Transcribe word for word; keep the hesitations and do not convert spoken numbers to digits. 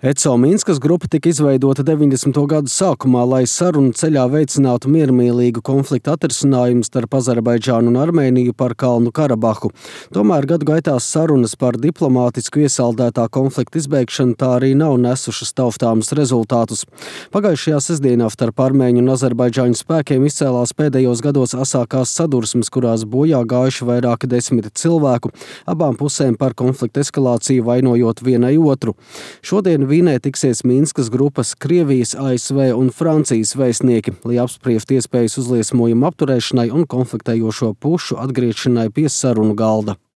ECO Minskas grupa tika izveidota deviņdesmito gadu sākumā, lai sarunu ceļā veicinātu miermīlīgu konfliktu atrisinājumu starp Azerbaidžānu un Armēniju par Kalnu Karabahu. Tomēr gadu gaitā sarunas par diplomātisku iesaldētā konflikta izbeigšanu tā arī nav nesušas taustāmus rezultātus. Pagājušajā sestdienā starp armēņu un azerbaidžāņu spēkiem izcēlās pēdējos gados asākās sadursmes, kurās bojā gājuši vairāki desmiti cilvēku, abām pusēm par konflikta eskalāciju vainojot vienai otru. Šodien Vīnē tiksies Minskas grupas Krievijas, A S V un Francijas vēstnieki, lai apspriestu iespējas uzliesmojumu apturēšanai un konfliktējošo pušu atgriešanai pie sarunu galda.